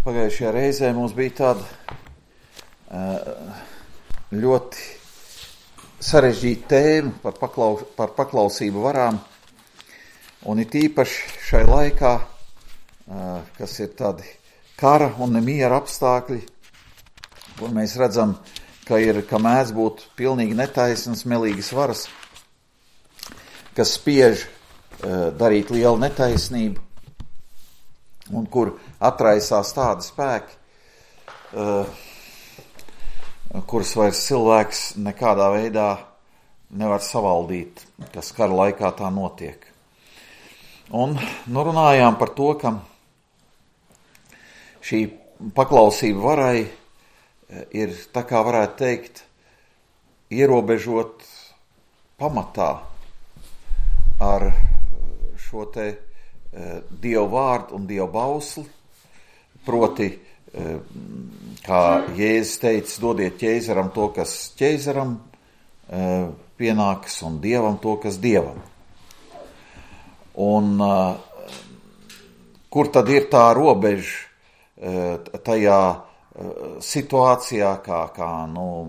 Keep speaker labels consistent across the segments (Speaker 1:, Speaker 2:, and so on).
Speaker 1: Pagājušajā reizē mums bija tāda ļoti sarežģīta tēma par paklausību varām, un it īpaši šai laikā, kas ir tādi kara un nemiera apstākļi, kur mēs redzam, ka mēdz būt pilnīgi netaisnas, melīgas varas, kas spiež darīt lielu netaisnību, un kur atraisās tādi spēki, kurus vairs cilvēks nekādā veidā nevar savaldīt, kas kara laikā tā notiek. Un runājām par to, ka šī paklausība varai ir, tā kā varētu teikt, ierobežot pamatā ar šo te Dievu vārdu un Dievu bausli, proti, kā Jēzus teica, dodiet ķeizaram to, kas ķeizaram pienākas, un Dievam to, kas Dievam. Un kur tad ir tā robeža tajā situācijā, kā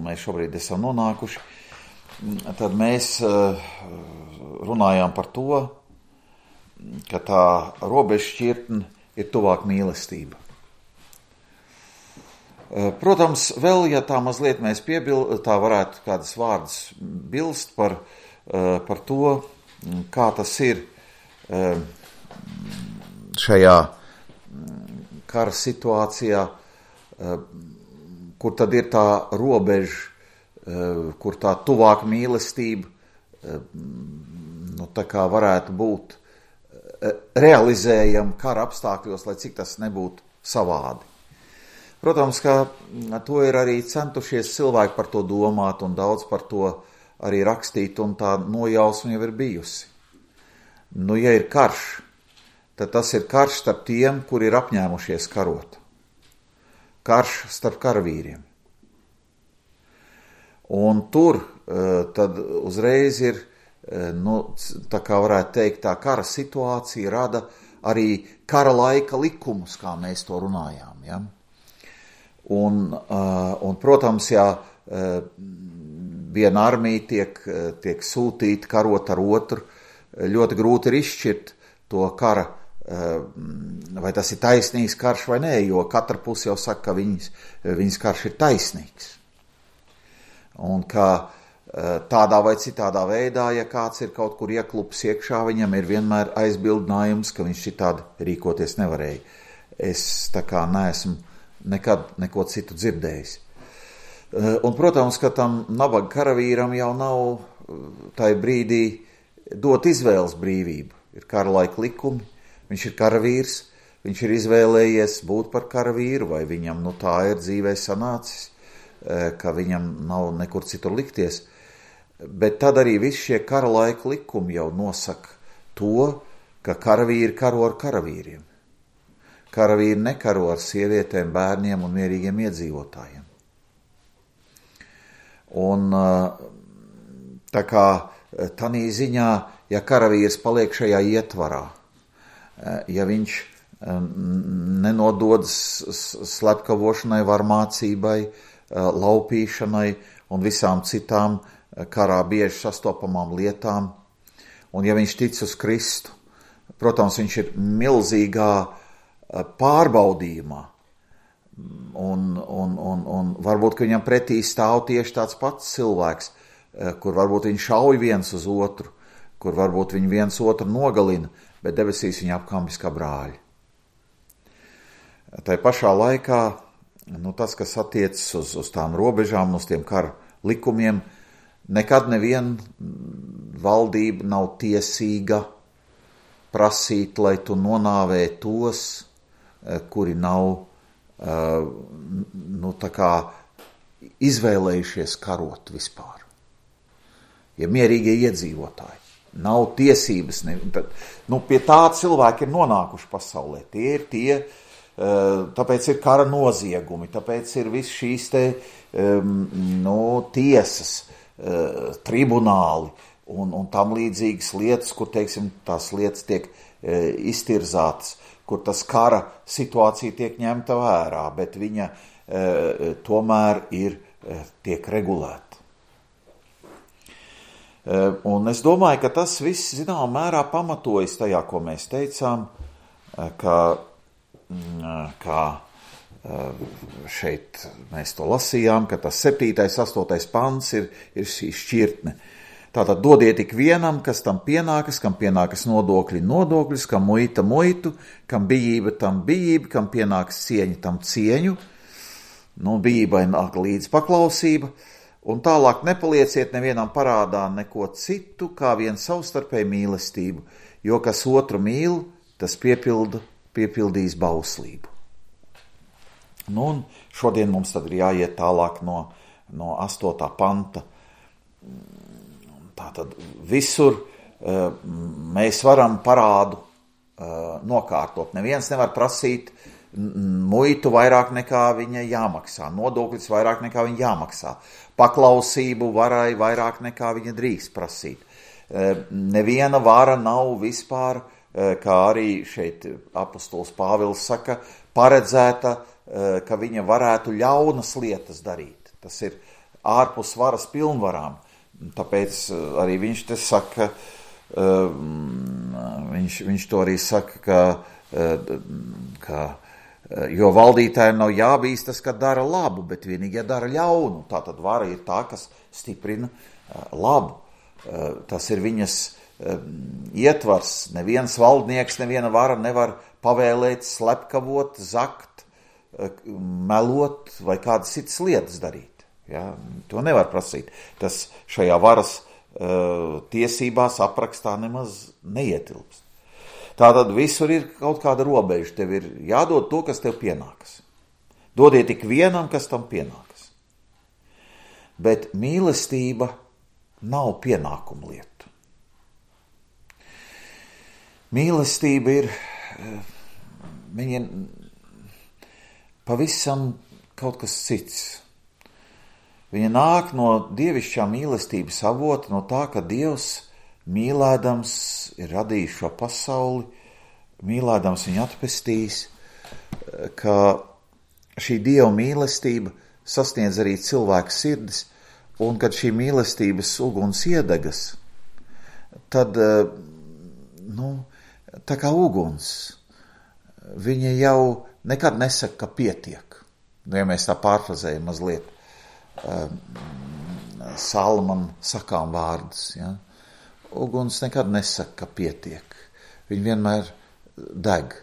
Speaker 1: mēs šobrīd esam nonākuši, tad mēs runājām par to, ka tā robeža šķirtne ir tuvāk mīlestība. Protams, vēl, ja tā mazliet mēs tā varētu kādas vārdas bilst par to, kā tas ir šajā kara situācijā, kur tad ir tā robeža, kur tā tuvāk mīlestība, tā kā varētu būt realizējama kara apstākļos, lai cik tas nebūtu savādi. Protams, ka to ir arī centušies cilvēki par to domāt un daudz par to arī rakstīt, un tā nojausma jau ir bijusi. Ja ir karš, tad tas ir karš starp tiem, kuri ir apņēmušies karot. Karš starp karavīriem. Un tur tad uzreiz ir, tā kā varētu teikt, tā kara situācija rada arī kara laika likumus, kā mēs to runājām. Ja? Un, protams, ja viena armija tiek sūtīta karot ar otru, ļoti grūti ir izšķirt to kara, vai tas ir taisnīgs karš vai nē, jo katra puse jau saka, ka viņas karš ir taisnīgs. Un ka tādā vai citādā veidā, ja kāds ir kaut kur ieklups iekšā, viņam ir vienmēr aizbildinājums, ka viņš šitādi rīkoties nevarēja. Es tā kā neesmu nekad neko citu dzirdējis. Un, protams, ka tam nabaga karavīram jau nav tai brīdī dot izvēles brīvību. Ir kara laika likumi, viņš ir karavīrs, viņš ir izvēlējies būt par karavīru, vai viņam tā ir dzīvē sanācis, ka viņam nav nekur citur likties. Bet tad arī visi šie kara laika likumi jau nosaka to, ka karavīri karo ar karavīriem. Karavīri nekaro ar sievietēm, bērniem un mierīgiem iedzīvotājiem. Un tā kā tanī ziņā, ja karavīrs paliek šajā ietvarā, ja viņš nenododas slepkavošanai, varmācībai, laupīšanai un visām citām karā bieži sastopamām lietām, un ja viņš tic uz Kristu, protams, viņš ir milzīgā pārbaudījumā, un varbūt, ka viņam pretī stāv tieši tāds pats cilvēks, kur varbūt viņi šauj viens uz otru, kur varbūt viņi viens otru nogalina, bet debesīs viņi apkambis kā brāļi. Tai pašā laikā, tas, kas attiecas uz tām robežām, uz tiem kara likumiem, nekad neviena valdība nav tiesīga prasīt, lai tu nonāvē tos, kuri nav tā kā izvēlējušies karot vispār. Ja mierīgie iedzīvotāji nav tiesības, pie tā cilvēki ir nonākuši pasaulē. Tie ir tie, tāpēc ir kara noziegumi, tāpēc ir viss šīs tiesas, tribunāli un tam līdzīgas lietas, kur, teiksim, tās lietas tiek iztirzātas kur tas kara situācija tiek ņemta vērā, bet viņa tomēr tiek regulēta. Un es domāju, ka tas viss, zināmā mērā, pamatojas tajā, ko mēs teicām, ka šeit mēs to lasījām, ka tas 7., 8. pants ir šī šķirtne. Tātad dodiet ik vienam, kas tam pienākas, kam pienākas nodokļi nodokļus, kam muita muitu, kam bijība tam bijību, kam pienākas cieņa tam cieņu. Nu, bijībai nāk līdz paklausība. Un tālāk nepalieciet nevienam parādā neko citu, kā vien savstarpēju mīlestību, jo kas otru mīl, tas piepildīs bauslību. Nu, un šodien mums tad ir jāiet tālāk no 8. panta. Tātad visur mēs varam parādu nokārtot. Neviens nevar prasīt muitu vairāk nekā viņa jāmaksā, nodokļus vairāk nekā viņa jāmaksā, paklausību varai vairāk nekā viņa drīkst prasīt. Neviena vara nav vispār, kā arī šeit apostols Pāvils saka, paredzēta, ka viņa varētu ļaunas lietas darīt. Tas ir ārpus varas pilnvarām. Tāpēc arī viņš te saka, viņš to arī saka, ka jo valdītājiem nav jābīstas, ka dara labu, bet vienīgi, ja dara ļaunu. Tātad vara ir tā, kas stiprina labu. Tas ir viņas ietvars. Neviens valdnieks, neviena vara nevar pavēlēt, slepkavot, zakt, melot vai kādas citas lietas darīt. Ja, to nevar prasīt. Tas šajā varas tiesībās aprakstā nemaz neietilpst. Tātad visur ir kaut kāda robeža. Tev ir jādod to, kas tev pienākas. Dodiet tik vienam, kas tam pienākas. Bet mīlestība nav pienākuma lieta. Mīlestība ir viņa pavisam kaut kas cits. Viņa nāk no dievišķā mīlestības avota, no tā, ka Dievs mīlēdams ir radījis šo pasauli, mīlēdams viņu atpestījis, ka šī Dieva mīlestība sasniedz arī cilvēku sirdis, un kad šī mīlestības uguns iedegas, tad, tā kā uguns, viņa jau nekad nesaka, ka pietiek. Ja mēs tā pārfrazējam mazliet, Salman sakām vārdus, ja? Uguns nekad nesaka, ka pietiek. Viņi vienmēr deg.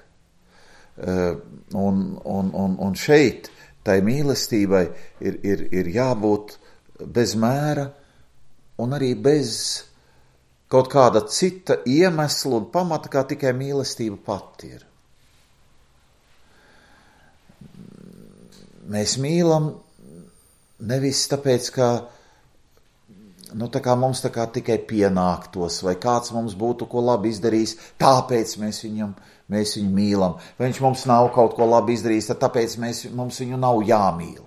Speaker 1: Un šeit tai mīlestībai ir jābūt bez mēra un arī bez kaut kāda cita iemesla un pamata, kā tikai mīlestība pati ir. Mēs mīlam nevis tāpēc, ka tā kā mums tā kā tikai pienāktos, vai kāds mums būtu ko labi izdarījis, tāpēc mēs viņu mīlam. Vai viņš mums nav kaut ko labi izdarījis, tad tāpēc mums viņu nav jāmīl.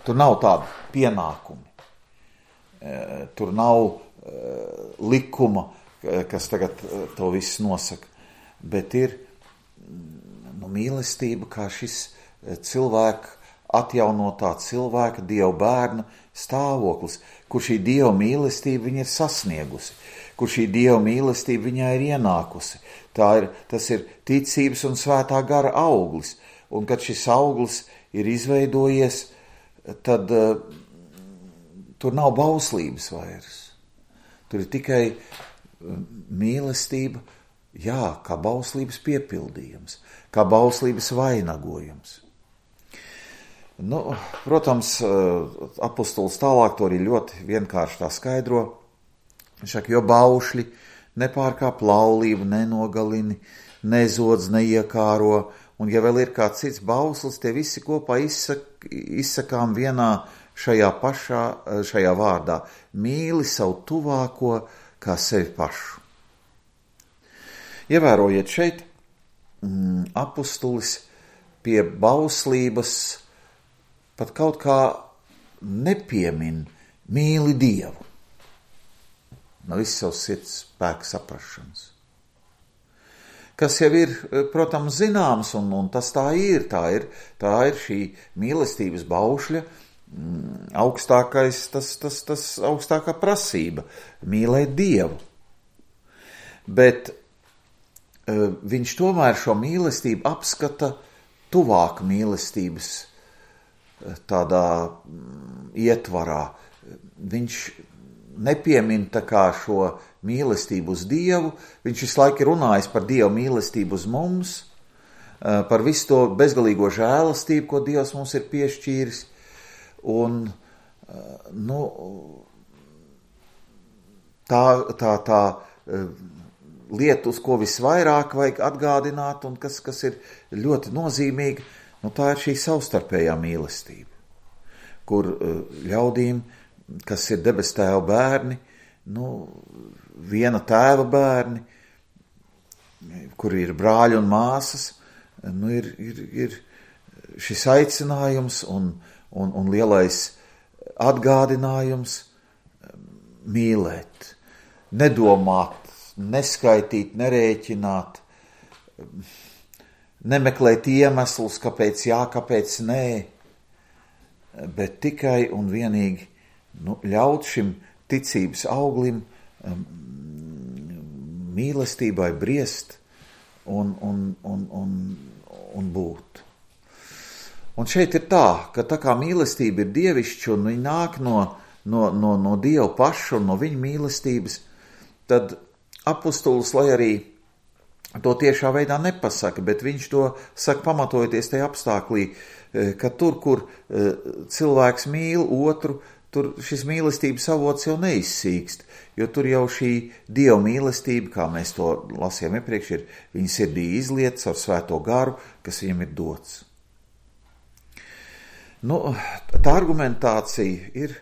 Speaker 1: Tur nav tādu pienākumi. Tur nav likuma, kas tagad to viss nosaka. Bet ir mīlestība kā šis cilvēka, atjaunotā cilvēka, Dieva bērna stāvoklis, kur šī Dieva mīlestība viņa ir sasniegusi, kur šī Dieva mīlestība viņā ir ienākusi. Tas ir ticības un svētā gara auglis, un kad šis auglis ir izveidojies, tad tur nav bauslības vairs. Tur ir tikai mīlestība, kā bauslības piepildījums, kā bauslības vainagojums. Protams, apostols tālāk to arī ļoti vienkārši tā skaidro. Viņš saka, jo baušļi nepārkāp laulību, nenogalini, nezodz, neiekāro, un ja vēl ir kāds cits bauslis, tie visi kopā izsakām vienā šajā vārdā. Mīli savu tuvāko kā sevi pašu. Ievērojiet šeit, apostolis pie bauslības pat kaut kā nepiemin mīli Dievu. No viss savs sirds spēka saprašanas. kas jau ir, protams, zināms, un tas tā ir šī mīlestības baušļa augstākā prasība – mīlēt Dievu. Bet viņš tomēr šo mīlestību apskata tuvāk mīlestības tādā ietvarā. Viņš nepiemin tā kā šo mīlestību uz Dievu, viņš visu laiku runājis par Dievu mīlestību uz mums, par visu to bezgalīgo žēlastību, ko Dievs mums ir piešķīris. Un, tā lieta, uz ko visvairāk vajag atgādināt un kas ir ļoti nozīmīga, tā ir šī savstarpējā mīlestība, kur ļaudīm, kas ir debes tēva bērni, viena tēva bērni, kur ir brāļi un māsas, ir šis aicinājums un lielais atgādinājums mīlēt, nedomāt, neskaitīt, nerēķināt, nemeklēt iemeslus, kāpēc jā, kāpēc nē, bet tikai un vienīgi ļaut šim ticības auglim mīlestībai briest un būt. Un šeit ir ka tā kā mīlestība ir dievišķa un viņa nāk no Dieva paša un no viņa mīlestības, tad apustulis, lai arī to tiešā veidā nepasaka, bet viņš to saka pamatojoties tajā apstāklī, ka tur, kur cilvēks mīl otru, tur šis mīlestības avots jau neizsīkst, jo tur jau šī Dieva mīlestība, kā mēs to lasījām iepriekš, ir viņa sirdī izliets ar svēto garu, kas viņam ir dots. Tā argumentācija ir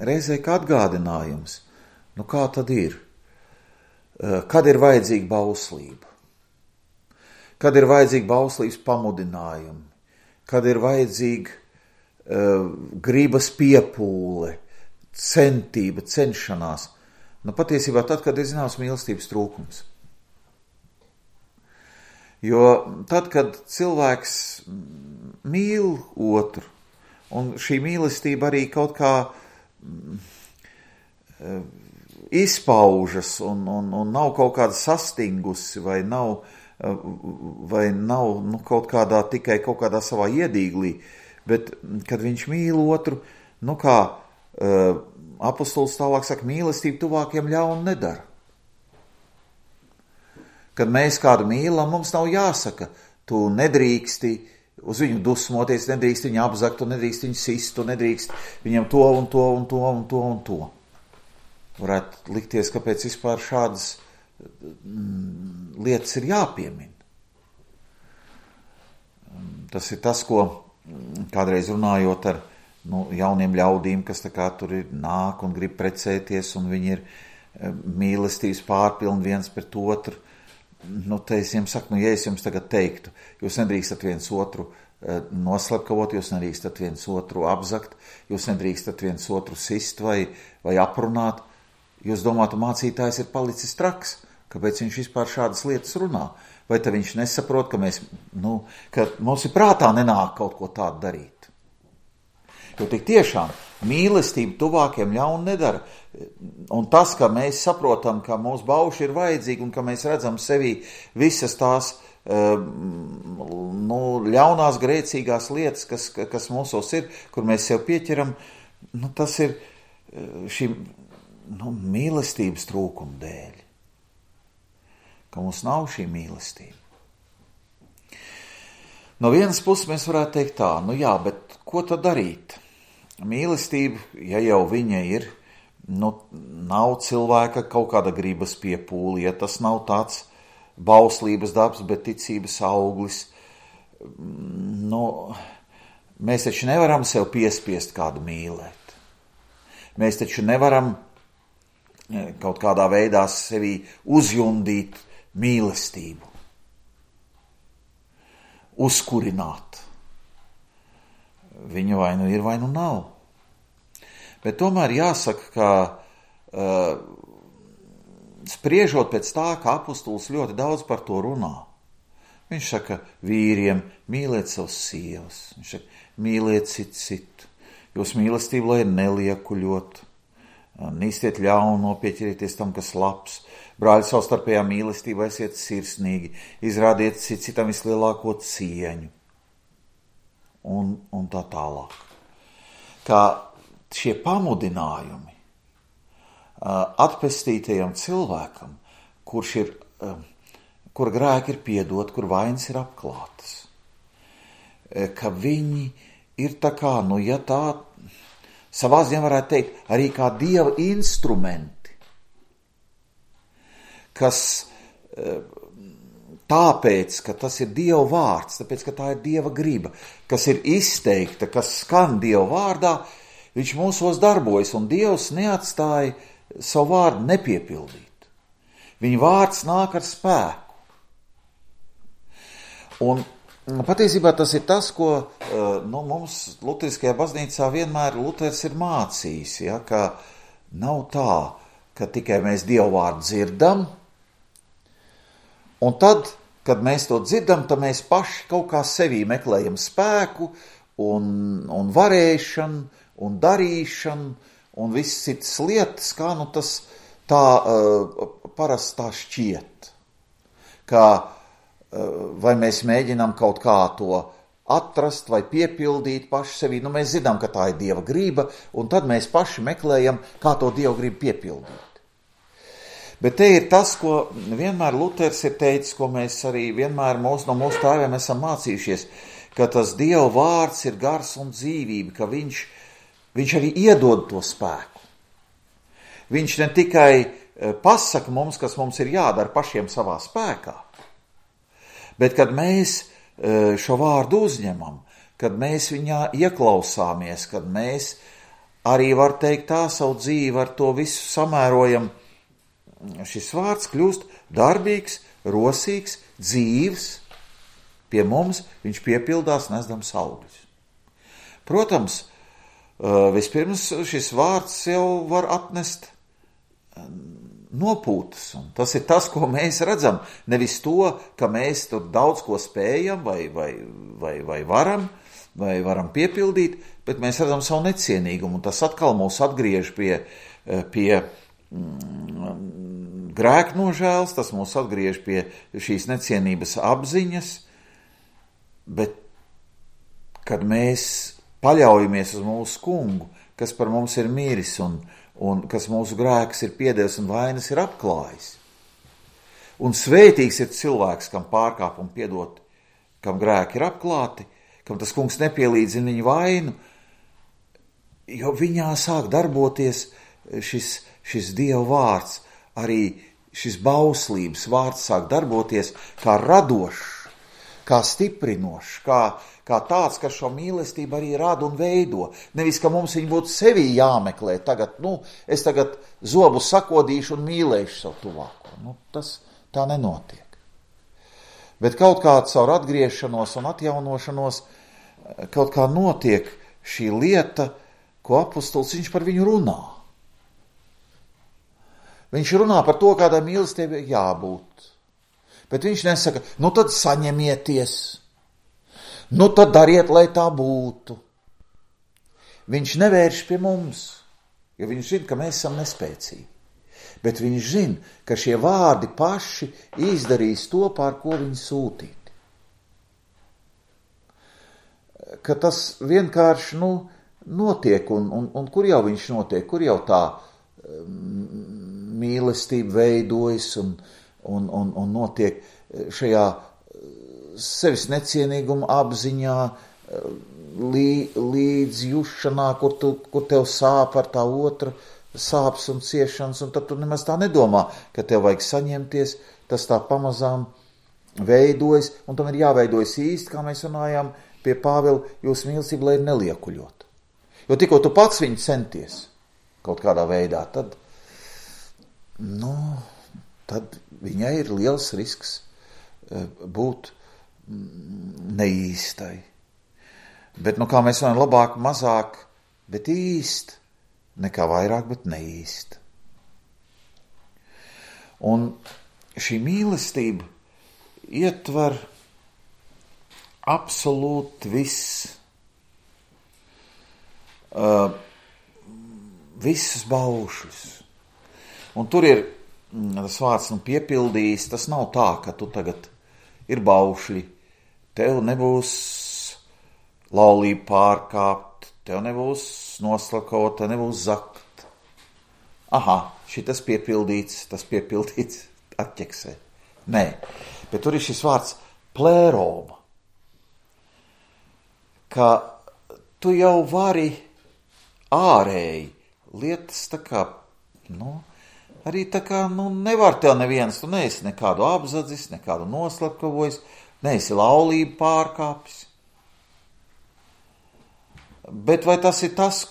Speaker 1: reizē kā atgādinājums. Kā tad ir? Kad ir vajadzīga bauslība? Kad ir vajadzīga bauslības pamudinājumi? Kad ir vajadzīga gribas piepūle, centība, cenšanās? Patiesībā tad, kad ir zināms mīlestības trūkums. Jo tad, kad cilvēks mīl otru, un šī mīlestība arī kaut kā izpaužas un nav kaut kāda sastingusi vai nav kaut kādā tikai kaut kādā savā iedīglī, bet kad viņš mīl otru, kā apustulis tālāk saka, mīlestība tuvākiem ļaunu nedara. Kad mēs kādu mīlam, mums nav jāsaka, tu nedrīksti uz viņu dusmoties, nedrīkst viņu apzakt, tu nedrīkst viņu sist, tu nedrīkst viņam to un to un to un to un to. Varētu likties, kāpēc vispār šādas lietas ir jāpiemina. Tas ir tas, ko kādreiz runājot ar jauniem ļaudīm, kas tā kā tur ir nāk un grib precēties, un viņi ir mīlestības pārpilni viens pret otru. Te es jums saku, ja es jums tagad teiktu, jūs nedrīkstat viens otru noslepkavot, jūs nedrīkstat viens otru apzakt, jūs nedrīkstat viens otru sist vai aprunāt, jūs domātu, mācītājs ir palicis traks, kāpēc viņš vispār šādas lietas runā, vai tad viņš nesaprot, ka mums ir prātā nenāk kaut ko tādu darīt. Jo tik tiešām mīlestība tuvākiem ļaunu nedara. Un tas, ka mēs saprotam, ka mūsu bauši ir vajadzīgi un ka mēs redzam sevī visas tās ļaunās grēcīgās lietas, kas mūsos ir, kur mēs sev pieķeram, tas ir šī mīlestības trūkuma dēļ. Ka mums nav šī mīlestība. No vienas puses mēs varētu teikt tā, bet ko tad darīt? Mīlestība, ja jau viņa ir, nav cilvēka kaut kāda gribas piepūle, ja tas nav tāds bauslības darbs, bet ticības auglis. Mēs taču nevaram sev piespiest kādu mīlēt. Mēs taču nevaram kaut kādā veidā sevī uzjundīt mīlestību, uzkurināt. Viņa vai nu ir, vai nu nav. Bet tomēr jāsaka, ka spriežot pēc tā, ka apustulis ļoti daudz par to runā. Viņš saka, vīriem, mīliet savus sievas. Viņš saka, mīliet citu. Jūs mīlestību, lai neliekuļot. Nīstiet ļauno, pieķerieties tam, kas labs. Brāļi, savstarpējā mīlestībā esiet sirsnīgi. Izrādiet citam vislielāko cieņu. Un tā tālāk. Kā šie pamudinājumi atpestītajam cilvēkam, kur grēki ir piedot, kur vainas ir apklātas, ka viņi ir tā kā, ja tā savā ziņā varētu teikt, arī kā Dieva instrumenti, kas tāpēc, ka tas ir Dieva vārds, tāpēc, ka tā ir Dieva griba, kas ir izteikta, kas skan Dieva vārdā, viņš mūsos darbojas, un Dievs neatstāja savu vārdu nepiepildīt. Viņa vārds nāk ar spēku. Un patiesībā tas ir tas, ko mums Luteriskajā baznīcā vienmēr Luters ir mācījis, ja, ka nav tā, ka tikai mēs Dievu vārdu dzirdam, un tad, kad mēs to dzirdam, tad mēs paši kaut kā sevī meklējam spēku un varēšanu un darīšanu un visas citas lietas, kā tas tā parasti tā šķiet. Kā vai mēs mēģinām kaut kā to atrast vai piepildīt paši sevī, mēs zinām, ka tā ir Dieva griba, un tad mēs paši meklējam, kā to Dieva gribu piepildīt. Bet te ir tas, ko vienmēr Luters ir teicis, ko mēs arī vienmēr no mūsu tēviem esam mācījušies, ka tas Dieva vārds ir gars un dzīvība, ka viņš arī iedod to spēku. Viņš ne tikai pasaka mums, kas mums ir jādara pašiem savā spēkā, bet kad mēs šo vārdu uzņemam, kad mēs viņā ieklausāmies, kad mēs arī, var teikt, tā savu dzīvi ar to visu samērojam, šis vārds kļūst darbīgs, rosīgs, dzīvs, pie mums viņš piepildās nesdams augļus. Protams, vispirms šis vārds jau var atnest nopūtas, un tas ir tas, ko mēs redzam, nevis to, ka mēs tur daudz ko spējam vai varam piepildīt, bet mēs redzam savu necienīgumu, un tas atkal mūs atgriež pie grēknožēls, tas mūs atgriež pie šīs necienības apziņas, bet kad mēs paļaujamies uz mūsu kungu, kas par mums ir miris un kas mūsu grēks ir piedevis un vainas ir apklājis. Un svētīgs ir cilvēks, kam pārkāpumi piedoti, kam grēki ir apklāti, kam tas kungs nepielīdzina viņu vainu, jo viņā sāk darboties šis Dieva vārds, arī šis bauslības vārds sāk darboties kā radošs, kā stiprinošs, kā tāds, kas šo mīlestību arī rada un veido. Nevis, ka mums viņi būtu sevī jāmeklē. Es tagad zobu sakodīšu un mīlēšu savu tuvāko. Tas tā nenotiek. Bet kaut kā caur atgriešanos un atjaunošanos kaut kā notiek šī lieta, ko apustulis viņš par viņu runā. Viņš runā par to, kādai mīlestībai jābūt. Bet viņš nesaka, tad saņemieties, tad dariet, lai tā būtu. Viņš nevērš pie mums, jo viņš zina, ka mēs esam nespēcīgi. Bet viņš zina, ka šie vārdi paši izdarīs to, pār ko viņi sūtīti. Ka tas vienkārši notiek, un kur jau viņš notiek, kur jau tā mīlestība veidojas un notiek šajā sevis necienīguma apziņā, līdzjušanā, kur tev sāp ar tā otra sāpes un ciešanas, un tad tu nemaz tā nedomā, ka tev vajag saņemties, tas tā pamazām veidojas, un tam ir jāveidojas īsti, kā mēs runājām pie Pāvila, jūsu mīlestība, lai ir neliekuļot. Jo tikko tu pats viņu centies kaut kādā veidā, tad viņai ir liels risks būt neīstai. Bet, kā mēs runājam, labāk, mazāk, bet īst, nekā vairāk, bet neīst. Un šī mīlestība ietver absolūti visus baušļus. Un tur ir tas vārds piepildījis, tas nav tā, ka tu tagad ir baušļi, tev nebūs laulība pārkāpt, tev nebūs noslakot, tev nebūs zakt. Aha, šitas piepildīts, tas piepildīts atķeksē. Nē, bet tur ir šis vārds plēroma, ka tu jau vari ārēji lietas tā kā, arī tā kā, nevar tev neviens, tu neesi nekādu apzadzis, nekādu noslapkavojis, neesi laulību pārkāpis. Bet vai tas ir tas,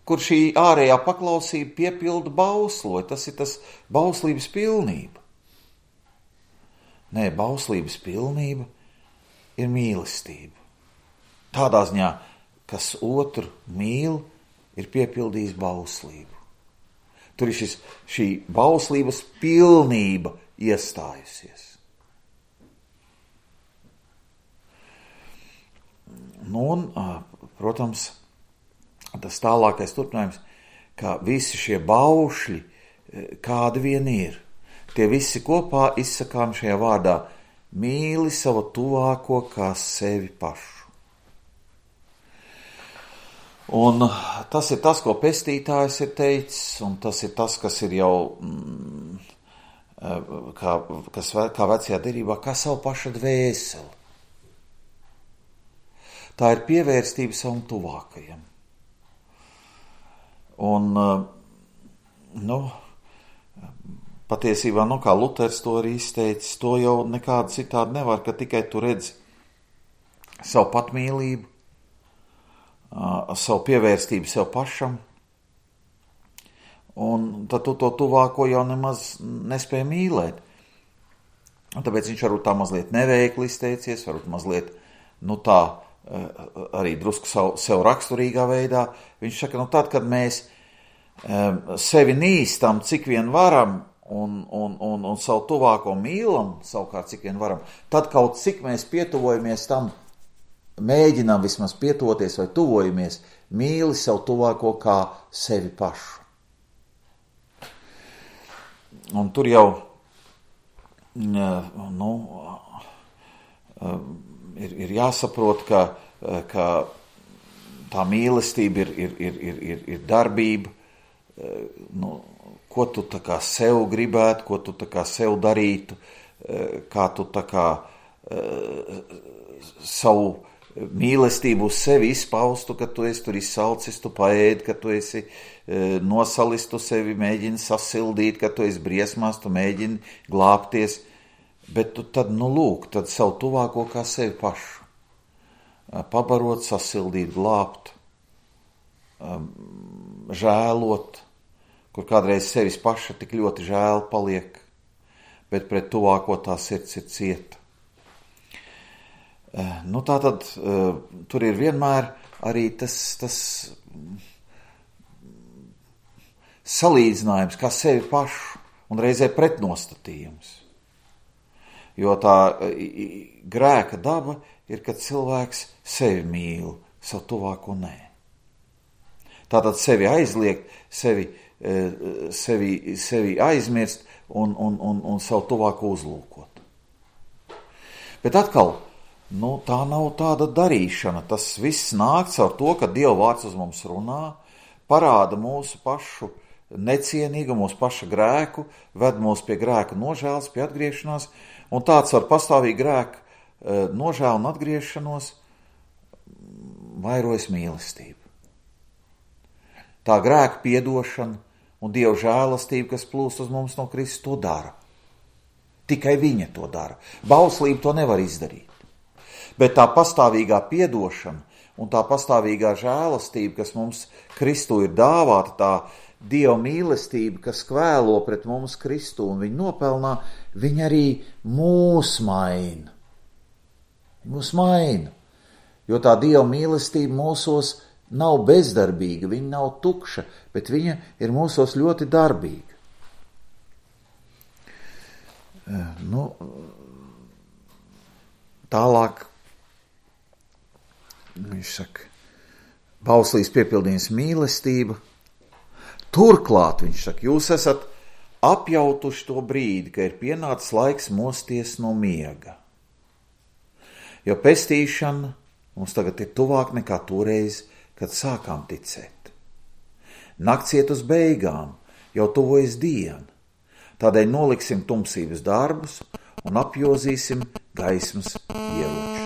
Speaker 1: kur šī ārējā paklausība piepilda bauslo, tas ir tas bauslības pilnība? Nē, bauslības pilnība ir mīlestība. Tādā ziņā, kas otru mīl, ir piepildījis bauslību. Tur ir šī bauslības pilnība iestājusies. Un, protams, tas tālākais turpinājums, ka visi šie baušļi, kādi vien ir, tie visi kopā izsakām šajā vārdā: mīli savu tuvāko kā sevi pašu. Un tas ir tas, ko pestītājs ir teicis, un tas ir tas, kas ir jau, kā vecajā derībā, kā savu paša dvēseli. Tā ir pievērstība savam tuvākajam. Un, patiesībā, kā Luters to arī izteicis, to jau nekādu citādi nevar, ka tikai tu redzi savu patmīlību, savu pievērstību sev pašam, un tad tu to tuvāko jau nemaz nespēj mīlēt. Un tāpēc viņš varbūt tā mazliet neveikli izteicies, varbūt mazliet, tā arī drusku sev raksturīgā veidā. Viņš saka, tad, kad mēs sevi nīstam, cik vien varam, un savu tuvāko mīlam, savukārt cik vien varam, tad kaut cik mēs pietuvojamies tam, mēģinām vismaz pietuvoties vai tuvojamies, mīli savu tuvāko kā sevi pašu. Un tur jau ir jāsaprot, ka tā mīlestība ir darbība, ko tu tā kā sev gribētu, ko tu tā kā sev darītu, kā tu tā kā savu mīlestību uz sevi izpaustu, ka tu esi tur izsalcis, tu paēdi, ka tu esi nosalis, tu sevi mēģini sasildīt, ka tu esi briesmās, tu mēģini glābties, bet tu tad, tad savu tuvāko kā sevi pašu. Pabarot, sasildīt, glābt, žēlot, kur kādreiz sevis paša tik ļoti žēl paliek, bet pret tuvāko tā sirds ir cieta. Tātad tur ir vienmēr arī tas salīdzinājums kā sevi pašu un reizē pretnostatījums. Jo tā grēka daba ir, kad cilvēks sevi mīl, savu tuvāko nē. Tātad sevi aizliegt, sevi aizmirst un savu tuvāko uzlūkot. Bet atkal, tā nav tāda darīšana. Tas viss nāk caur to, ka Dieva vārds uz mums runā, parāda mūsu pašu necienīgu, mūsu paša grēku, ved mūs pie grēka nožēlas, pie atgriešanās, un tāds ar pastāvīgu grēku nožēlu un atgriešanos vairojas mīlestība. Tā grēka piedošana un Dieva žēlastība, kas plūst uz mums no Kristus, to dara. Tikai viņa to dara. Bauslība to nevar izdarīt. Bet tā pastāvīgā piedošana un tā pastāvīgā žēlastība, kas mums Kristū ir dāvāta, tā Dieva mīlestība, kas kvēlo pret mums Kristū un viņu nopelnā, viņa arī mūs maina. Mūs maina. Jo tā Dieva mīlestība mūsos nav bezdarbīga, viņa nav tukša, bet viņa ir mūsos ļoti darbīga. Tālāk viņš saka, bauslīs piepildījums mīlestība. Turklāt viņš saka, jūs esat apjautuši to brīdi, ka ir pienācis laiks mosties no miega. Jo pestīšana mums tagad ir tuvāk nekā toreiz, kad sākām ticēt. Nakts iet uz beigām, jau tuvojas diena. Tādēļ noliksim tumsības darbus un apjozīsim gaismas ieročus.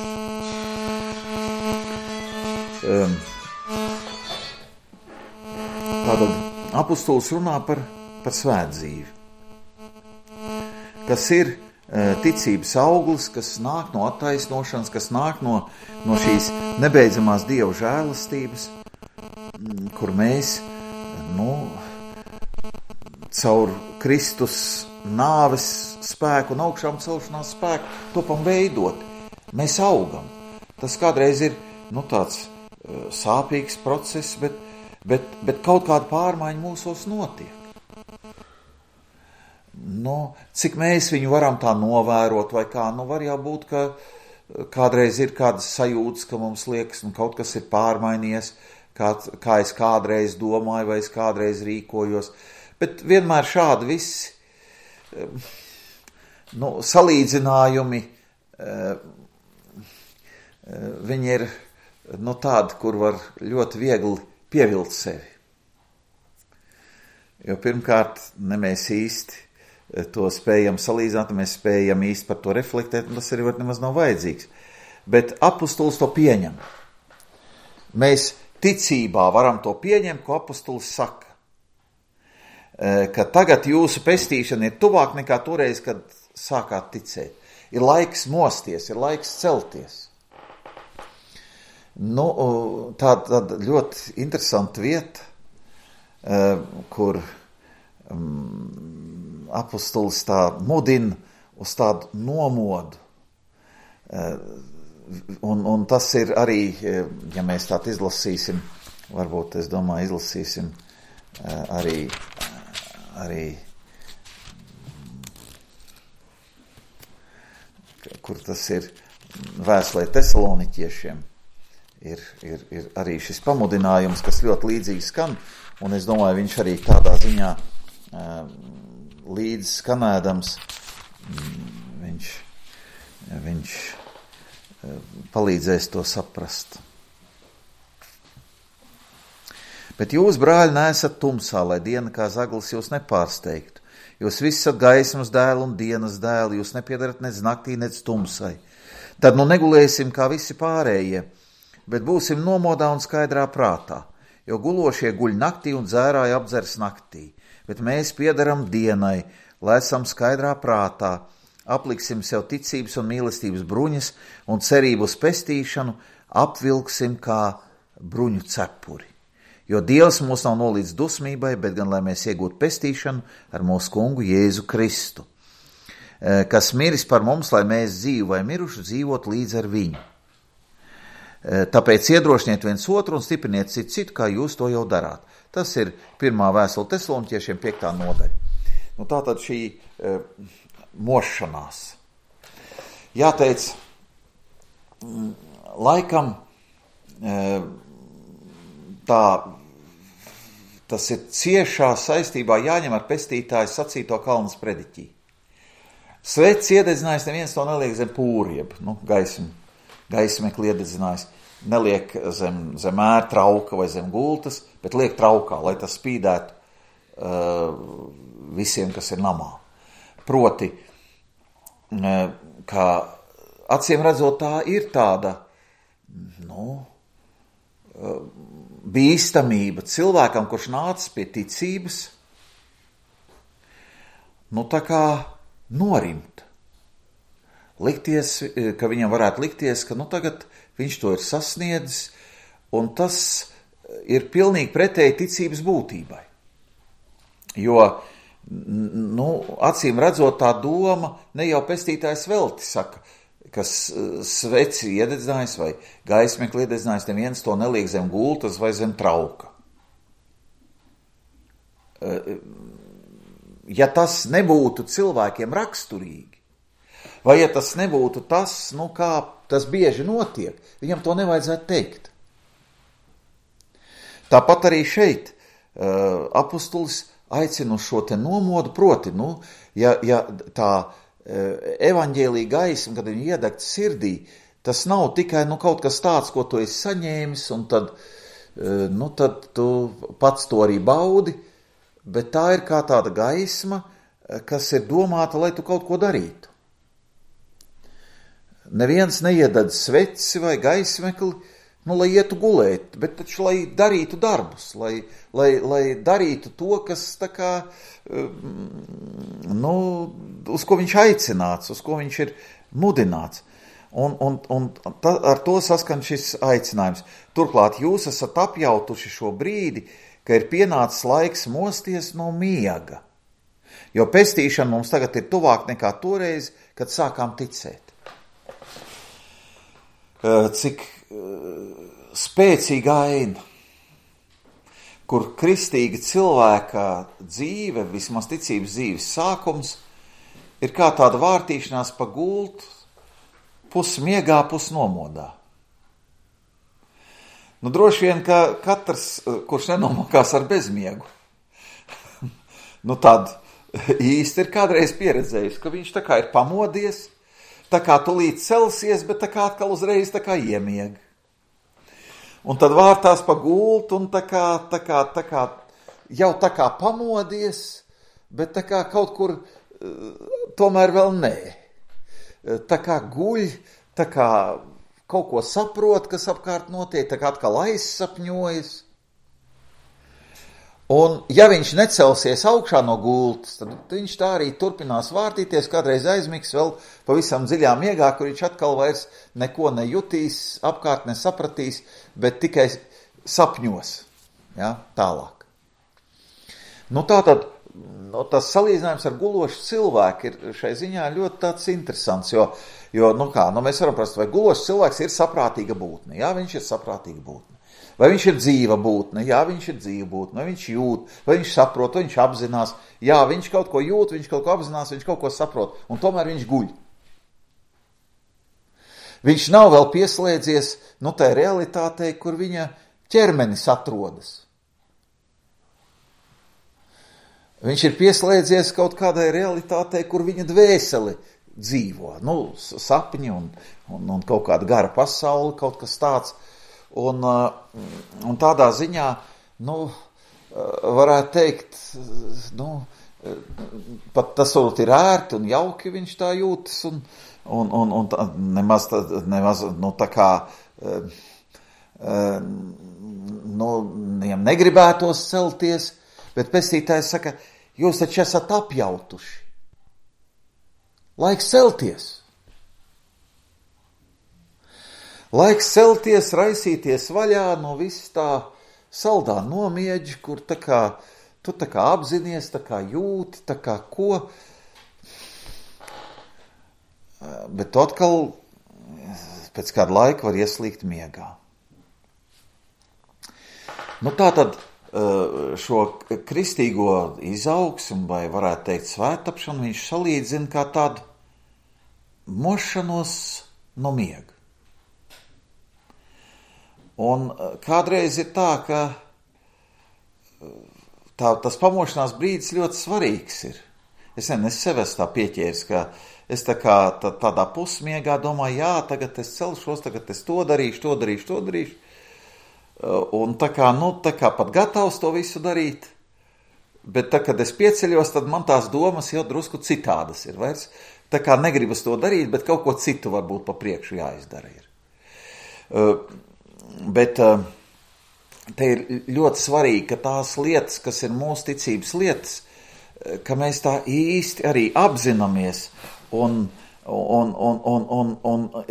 Speaker 1: Tātad apustulis runā par svētdzīvi, kas ir ticības auglis, kas nāk no attaisnošanas, kas nāk no šīs nebeidzamās Dieva žēlastības, kur mēs, caur Kristus nāves spēku un augšām celšanās spēku topam veidot. Mēs augam. Tas kādreiz ir, tāds sāpīgs process, bet kaut kāda pārmaiņa mūsos notiek. Cik mēs viņu varam tā novērot vai kā, var jau būt, ka kādreiz ir kādas sajūtas, ka mums liekas, kaut kas ir pārmainījies, kā es kādreiz domāju vai es kādreiz rīkojos, bet vienmēr šādi visi salīdzinājumi, viņi ir tādi, kur var ļoti viegli pievilkt sevi. Jo pirmkārt, ne mēs īsti to spējam salīdzināt, mēs spējam īsti par to reflektēt, un tas arī nemaz nav vajadzīgs. Bet apustulis to pieņem. Mēs ticībā varam to pieņemt, ko apustulis saka. Ka tagad jūsu pestīšana ir tuvāk nekā toreiz, kad sākāt ticēt. Ir laiks mosties, ir laiks celties. Tāda ļoti interesanta vieta, kur apustulis tā mudina uz tādu nomodu. Un tas ir arī, ja mēs tādu izlasīsim, varbūt, es domāju, izlasīsim arī kur tas ir vēstulē Tesaloniķiešiem, ir arī šis pamudinājums, kas ļoti līdzīgi skan, un es domāju, viņš arī tādā ziņā līdz skanēdams, viņš palīdzēs to saprast. Bet jūs, brāļi, neesat tumsā, lai diena kā zaglis jūs nepārsteigtu. Jūs visi esat gaismas dēli un dienas dēli, jūs nepiedarat nec naktī, nec tumsai. Tad negulēsim kā visi pārējie, bet būsim nomodā un skaidrā prātā, jo gulošie guļ naktī un dzērāji apdzers naktī, bet mēs piedaram dienai, lai esam skaidrā prātā, apliksim sev ticības un mīlestības bruņas un cerību uz pestīšanu apvilksim kā bruņu cepuri. Jo Dievs mūs nav nolīdz dusmībai, bet gan, lai mēs iegūtu pestīšanu ar mūsu kungu Jēzu Kristu, kas miris par mums, lai mēs dzīvu vai miruši dzīvot līdz ar viņu. Tāpēc iedrošiniet viens otru un stipriniet citu, kā jūs to jau darāt. Tas ir 1. vēstule Tesaloniķiešiem 5. nodaļa. Tātad šī mošanās. Jāteic, laikam tas ir ciešā saistībā jāņem ar pestītāju sacīto Kalnas prediķī. Svets iededzinājis, neviens to neliek zem pūrieb, gaismekli iededzinājis, neliek zem ērtrauka vai zem gultas, bet liek traukā, lai tas spīdētu visiem, kas ir namā. Proti, ka acīm redzot, tā ir tāda, bīstamība cilvēkam, kurš nācis pie ticības, tā kā norimt. Likties, ka viņam varētu likties, ka tagad viņš to ir sasniedzis, un tas ir pilnīgi pretēji ticības būtībai. Jo, acīm redzot, tā doma ne jau pestītājs velti saka, kas sveci iededzinājis vai gaismekli iededzinājis, neviens to neliek zem gultas vai zem trauka. ja tas nebūtu cilvēkiem raksturīgi, vai ja tas nebūtu tas, kā tas bieži notiek, viņam to nevajadzētu teikt. Tāpat arī šeit apustulis aicina uz šo te nomodu, proti, ja tā evaņģēlija gaisma, kad viņa iedegta sirdī, tas nav tikai kaut kas tāds, ko tu esi saņēmis, un tad tu pats to arī baudi, bet tā ir kā tāda gaisma, kas ir domāta, lai tu kaut ko darītu. Neviens neiededz sveci vai gaismekli, lai ietu gulēt, bet taču, lai darītu darbus, lai darītu to, kas tā kā, uz ko viņš aicināts, uz ko viņš ir mudināts. Un ar to saskan šis aicinājums. Turklāt jūs esat apjautuši šo brīdi, ka ir pienācis laiks mosties no miega, jo pestīšana mums tagad ir tuvāk nekā toreiz, kad sākām ticēt. Cik spēcīga aina, kur kristīga cilvēka dzīve, vismaz ticības dzīves sākums, ir kā tāda vārtīšanās pa gultu, pus miegā, pus nomodā. Droši vien, ka katrs, kurš nenomokās ar bezmiegu, tad īsti ir kādreiz pieredzējis, ka viņš tā kā ir pamodies, tā kā tulīt celsies, bet tā kā atkal uzreiz tā kā iemieg. Un tad vārtās pa gultu un tā kā jau tā kā pamodies, bet tā kā kaut kur tomēr vēl nē. Tā kā guļ, tā kā kaut ko saprot, kas apkārt notiek, tā kā atkal aizsapņojas. Un ja viņš necelsies augšā no gultas, tad viņš tā arī turpinās vārtīties, kādreiz aizmigs vēl pavisam dziļā miegā, kur viņš atkal vairs neko nejutīs, apkārt nesapratīs, bet tikai sapņos, tālāk. Tātad, tas salīdzinājums ar gulošu cilvēku ir šai ziņā ļoti tāds interesants, jo mēs varam prast, vai gulošs cilvēks ir saprātīga būtne, viņš ir saprātīga būtne. Vai viņš ir dzīva būtne? Jā, viņš ir dzīva būtne. Vai viņš jūt, vai viņš saprot, vai viņš apzinās? Jā, viņš kaut ko jūt, viņš kaut ko apzinās, viņš kaut ko saprot, un tomēr viņš guļ. Viņš nav vēl pieslēdzies tai realitātei, kur viņa ķermenis atrodas. Viņš ir pieslēdzies kaut kādai realitātei, kur viņa dvēseli dzīvo. Sapņi un kaut kāda gara pasaule, kaut kas tāds. Un tādā ziņā, varētu teikt, pat tas varbūt ir ērti un jauki viņš tā jūtas, un nemaz tā kā, viņam negribētos celties, bet pestītājs saka, jūs taču esat apjautuši. Laiks celties. Laiks celties, raisīties vaļā no viss tā saldā nomieģi, kur tu tā kā apzinies, tā kā jūti, tā kā ko. Bet tu atkal pēc kāda laika var ieslīgt miegā. Tātad šo kristīgo izaugsmu, vai varētu teikt svētapšanu, viņš salīdzina kā tādu mošanos no miega. Un kādreiz ir tā, ka tas pamošanās brīdis ļoti svarīgs ir. Es sev esmu tā pieķēris, ka es tādā pusmiegā domāju, jā, tagad es celšos, tagad es to darīšu. Un tā kā pat gatavs to visu darīt. Bet kad es pieceļos, tad man tās domas jau drusku citādas ir. Vairs tā kā negribas to darīt, bet kaut ko citu varbūt pa priekšu jāizdara ir. Bet te ir ļoti svarīgi, ka tās lietas, kas ir mūsu ticības lietas, ka mēs tā īsti arī apzināmies un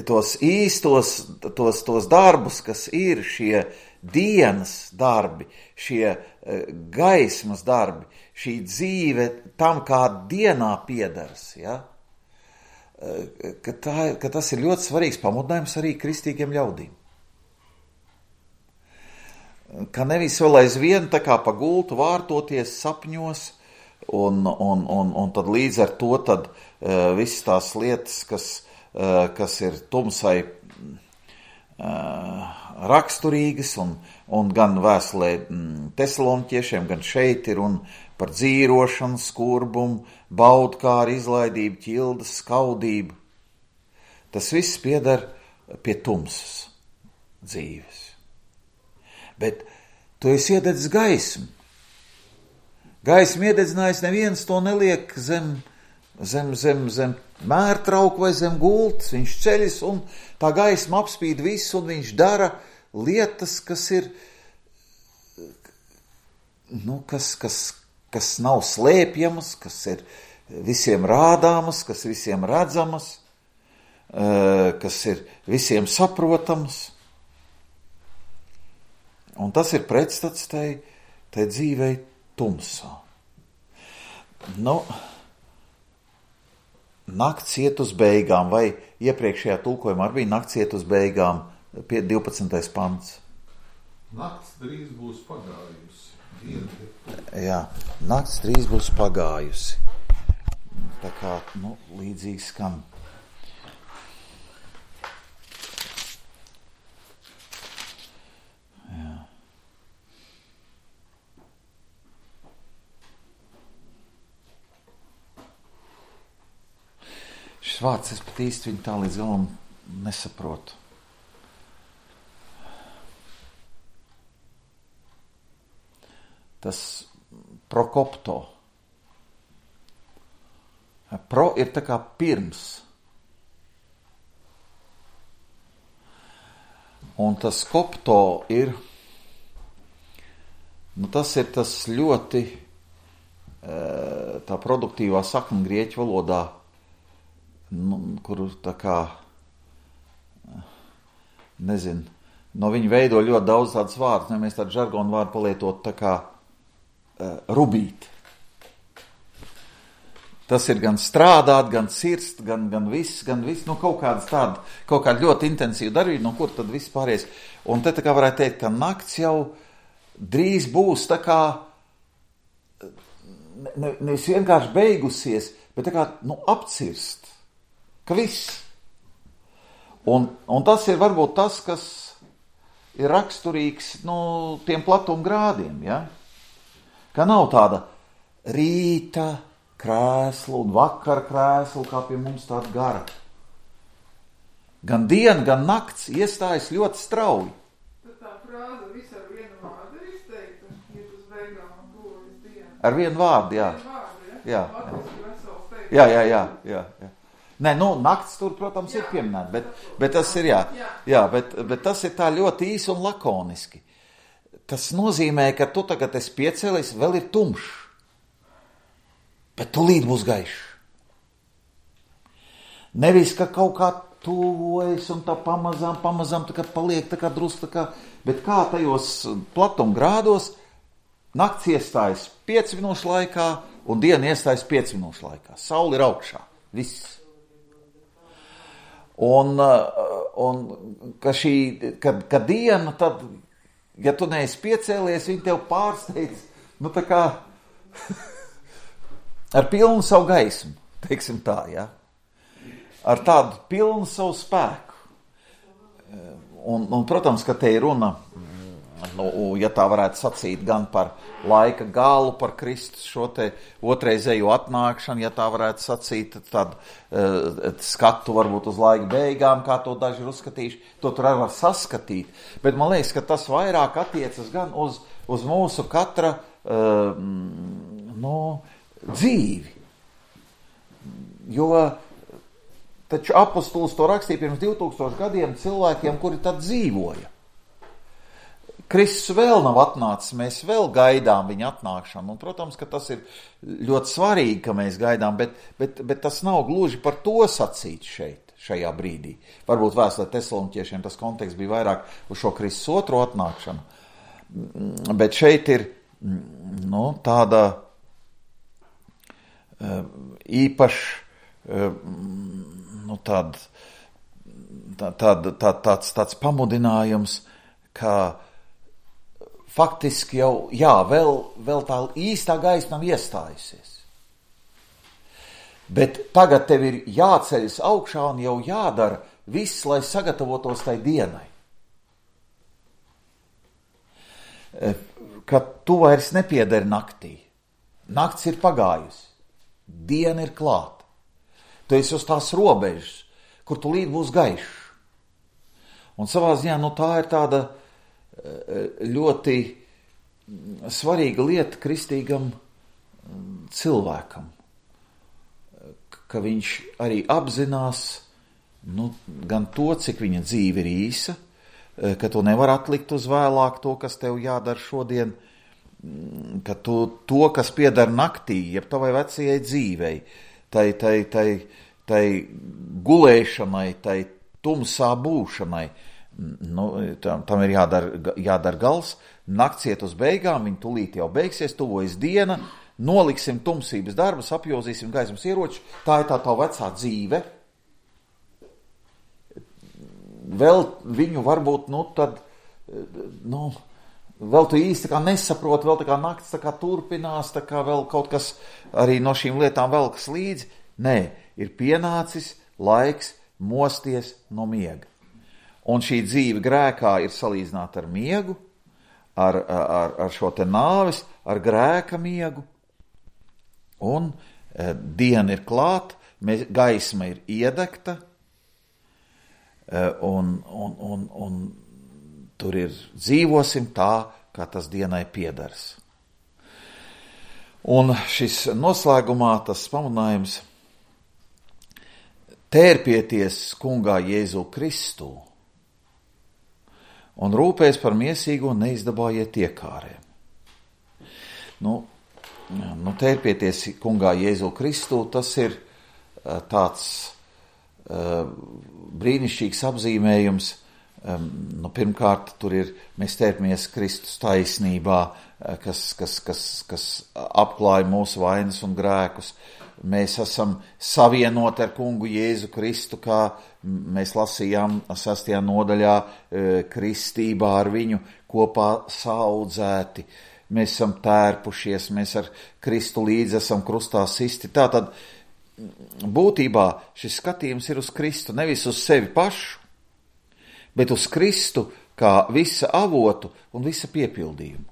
Speaker 1: tos īstos, tos darbus, kas ir šie dienas darbi, šie gaismas darbi, šī dzīve tam, kā dienā piedaras, ka tas ir ļoti svarīgs pamudinājums arī kristīgiem ļaudīm. Ka nevis vēl aizvien tā kā pa gultu vārtoties sapņos un tad līdz ar to tad visas tās lietas, kas ir tumsai raksturīgas, un gan vēstulē Tesaloniķiešiem, gan šeit ir un par dzīrošanu, skurbumu, baudkāru, izlaidību, ķildas, skaudību. Tas viss pieder pie tumsas dzīves. Bet tu esi iededzis gaismu. Gaismu iededzinājis, neviens to neliek zem mērtrauku vai zem gultas. Viņš ceļas un tā gaisma apspīd visu, un viņš dara lietas, kas ir, kas nav slēpjamas, kas ir visiem rādāmas, kas visiem redzamas, kas ir visiem saprotamas. Un tas ir pretstats tai dzīvei tumsā. Nakts iet uz beigām, vai iepriekšējā tulkojumā arī bija nakts iet uz beigām, 12. pants.
Speaker 2: Nakts drīz būs pagājusi.
Speaker 1: Jā, nakts drīz būs pagājusi. Tā kā, līdzīgi skan. Jā. Šis vārds, es pat īsti viņu tā līdz galam nesaprotu. Tas prokopto. Pro ir tā kā pirms. Un tas kopto ir, tas ir tas ļoti tā produktīvā sakna grieķu valodā, kuru tā kā, no viņa veido ļoti daudz tādas vārdus, mēs tādu žargonu vārdu palietot tā kā rubīt. Tas ir gan strādāt, gan cirst, gan viss, kaut kāda ļoti intensīva darbība, no kur tad viss pāries. Un te tā kā varētu teikt, ka nakts jau drīz būs tā kā, nevis vienkārši beigusies, bet tā kā, apcirst. Ka viss. Un tas ir varbūt tas, kas ir raksturīgs, tiem platumgrādiem, ja? Ka nav tāda rīta krēslu un vakara krēslu, kā pie mums tāda gara. Gan diena, gan nakts iestājas ļoti strauji.
Speaker 3: Tad tā frāze visu ar vienu vārdu ir izteikta, iet uz beigām un tuvojas diena.
Speaker 1: Ar vienu vārdu, jā.
Speaker 3: Jā.
Speaker 1: Jā. Nē, nakts tur, protams, ir pieminēta, bet tas ir, bet tas ir tā ļoti īsi un lakoniski. Tas nozīmē, ka tu tagad esi piecēlies, vēl ir tumšs, bet tūlīt būs gaišs. Nevis, ka kaut kā tuvojas un tā pamazām tā kā paliek, tā kā drusku, tā kā, bet kā tajos platumgrādos nakts iestājas 5 minūšu laikā un diena iestājas 5 minūšu laikā. Saule ir augšā, viss. Un ka diena tad, ja tu neesi piecēlies, viņi tev pārsteidz, tā kā ar pilnu savu gaismu, teiksim tā, ja? Ar tādu pilnu savu spēku. Un protams, ka te ir runa, ja tā varētu sacīt, gan par laika galu, par Kristus šo te otrreizējo atnākšanu, ja tā varētu sacīt, tad skatu varbūt uz laika beigām, kā to daži ir uzskatījuši, to tur arī var saskatīt. Bet man liekas, ka tas vairāk attiecas gan uz mūsu katra dzīvi. Jo taču apostols to rakstīja pirms 2000 gadiem cilvēkiem, kuri tad dzīvoja. Kristus vēl nav atnācis, mēs vēl gaidām viņa atnākšanu. Un, protams, ka tas ir ļoti svarīgi, ka mēs gaidām, bet tas nav gluži par to sacīt šajā brīdī. Varbūt vēstulē Tesaloniķiešiem tas konteksts bija vairāk uz šo Kristus otro atnākšanu. Bet šeit ir tāda īpaša tāds pamudinājums, ka faktiski jau, vēl tā īstā gaisma nav iestājusies. Bet tagad tev ir jāceļas augšā un jau jādara viss, lai sagatavotos tai dienai. Kad tu vairs nepiederi naktī. Nakts ir pagājusi. Diena ir klāta. Tu esi uz tās robežas, kur tu līdz būs gaišs. Un savā ziņā, tā ir tāda ļoti svarīga lieta kristīgam cilvēkam. Ka viņš arī apzinās gan to, cik viņa dzīve ir īsa, ka tu nevar atlikt uz vēlāk to, kas tev jādara šodien, ka tu to, kas pieder naktī, jeb tavai vecajai dzīvei, tai gulēšanai, tai tumsā būšanai, tam ir jādara gals, nakts iet uz beigām, viņa tūlīt jau beigsies, tuvojas diena, noliksim tumsības darbus, apjozīsim gaismas ieroči, tā ir tā vecā dzīve. Vēl viņu varbūt, vēl tu īsti kā nesaproti, vēl tā kā nakts tā kā turpinās, tā kā vēl kaut kas arī no šīm lietām velkas līdzi. Nē, ir pienācis laiks mosties no miega. Un šī dzīve grēkā ir salīdzināta ar miegu, ar šo te nāvis, ar grēka miegu. Un diena ir klāta, gaisma ir iedegta, un tur ir dzīvosim tā, kā tas dienai piedars. Un šis noslēgumā tas pamudinājums tērpieties kungā Jēzu Kristu un rūpēs par miesīgo un neizdabājiet iekārēm. Tērpieties kungā Jēzu Kristu, tas ir tāds brīnišķīgs apzīmējums. Pirmkārt, tur ir, mēs tērpamies Kristus taisnībā, kas apklāja mūsu vainas un grēkus. Mēs esam savienoti ar kungu Jēzu Kristu, kā mēs lasījām 6. nodaļā, kristībā ar viņu kopā saaudzēti. Mēs esam tērpušies, mēs ar Kristu līdzi esam krustā sisti. Tātad būtībā šis skatījums ir uz Kristu, nevis uz sevi pašu, bet uz Kristu kā visa avotu un visa piepildījumu.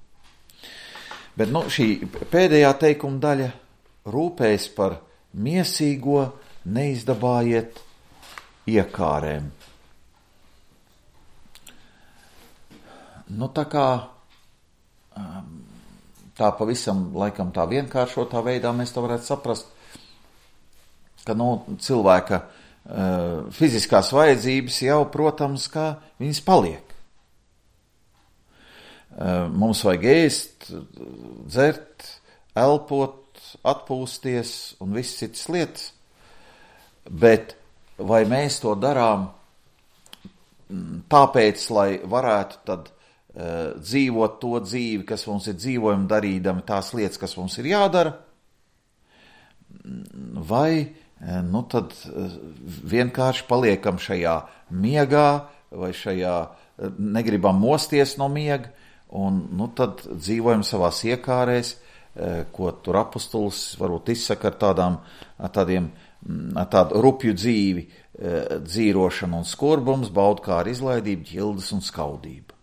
Speaker 1: Bet šī pēdējā teikuma daļa rūpējas par miesīgo, neizdabājiet iekārēm. Tā pavisam laikam tā vienkāršotā veidā mēs to varētu saprast, ka cilvēka fiziskās vajadzības jau, protams, kā viņas paliek. Mums vajag ēst, dzert, elpot, atpūsties un visas citas lietas, bet vai mēs to darām tāpēc, lai varētu tad dzīvot to dzīvi, kas mums ir dzīvojama, darīdami tās lietas, kas mums ir jādara, vai tad vienkārši paliekam šajā miegā vai šajā negribam mosties no miega un tad dzīvojam savās iekārēs, ko tur apostols varbūt izsaka ar tādu rupju dzīvi, dzīrošanu un skurbums, baudkāra izlaidība, ķildes un skaudība.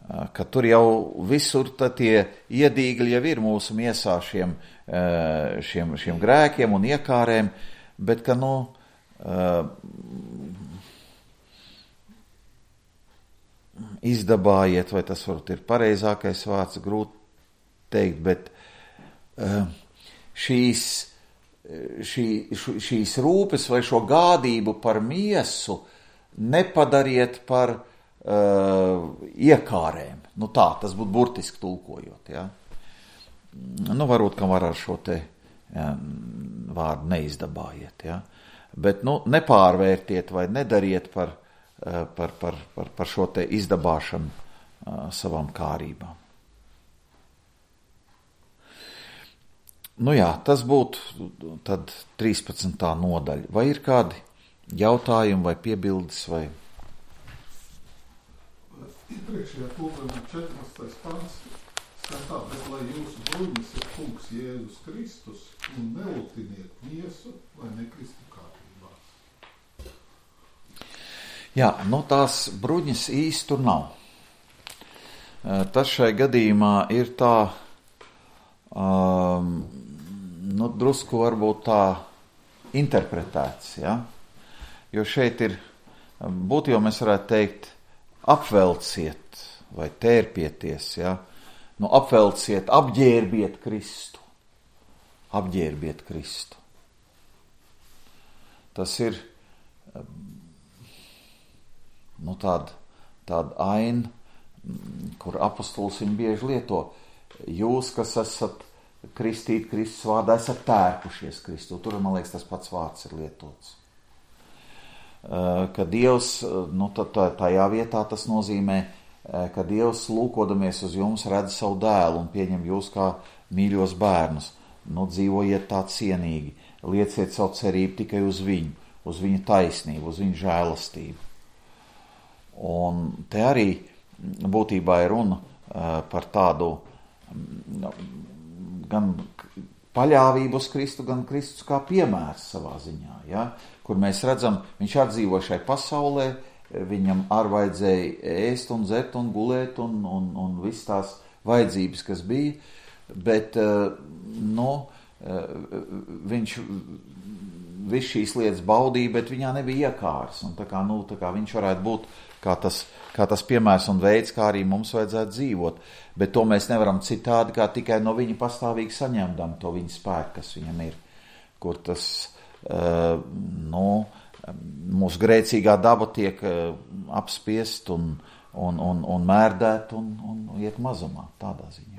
Speaker 1: Ka tur jau visur tie iedīgļi jau ir mūsu miesā šiem grēkiem un iekārēm, bet ka izdabājiet, vai tas varbūt ir pareizākais vārds, grūti teikt, bet šīs rūpes vai šo gādību par miesu nepadariet par iekārēm. Tas būtu burtiski tulkojot. Ja? Varbūt, ka var ar šo te vārdu neizdabājiet. Ja? Bet nepārvērtiet vai nedariet par šo te izdabāšanu savām kārībām. Tas būtu tad 13. nodaļa. Vai ir kādi jautājumi vai piebildes vai...
Speaker 2: Ir Iepriekšējā tūlēmā 14. pants skan tā, bet lai jūsu bruņas ir kungs Jēzus Kristus un nelutiniet miesu, lai nekristu kārtībās.
Speaker 1: Jā, tās bruņas īsti tur nav. Tas šai gadījumā ir tā, drusku varbūt tā interpretēts, ja? Jo šeit ir, būtībā mēs varētu teikt, apvelciet vai tērpieties, ja? Apvelciet, apģērbiet Kristu. Apģērbiet Kristu. Tas ir tāda aina, kur apostols viņu bieži lieto. Jūs, kas esat kristīti Kristus vārdā, esat tērpušies Kristu. Tur, man liekas, tas pats vārds ir lietots. Ka Dievs, tajā vietā tas nozīmē, ka Dievs lūkodamies uz jums redz savu dēlu un pieņem jūs kā mīļos bērnus. Dzīvojiet tā cienīgi, lieciet savu cerību tikai uz viņu, uz viņa taisnību, uz viņa žēlastību. Un te arī būtībā ir runa par tādu gan paļāvību uz Kristu, gan Kristus kā piemērs savā ziņā, ja? Kur mēs redzam, viņš atdzīvo šai pasaulē, viņam vajadzēja ēst un dzert un gulēt un viss tās vajadzības, kas bija, bet viņš visu šīs lietas baudīja, bet viņā nebija iekārs. Un tā kā viņš varētu būt kā tas piemērs un veids, kā arī mums vajadzētu dzīvot. Bet to mēs nevaram citādi, kā tikai no viņa pastāvīgi saņemdam to viņa spēku, kas viņam ir. Kur tas, mūsu grēcīgā daba tiek apspiest un mērdēt un iet mazumā tādā ziņā.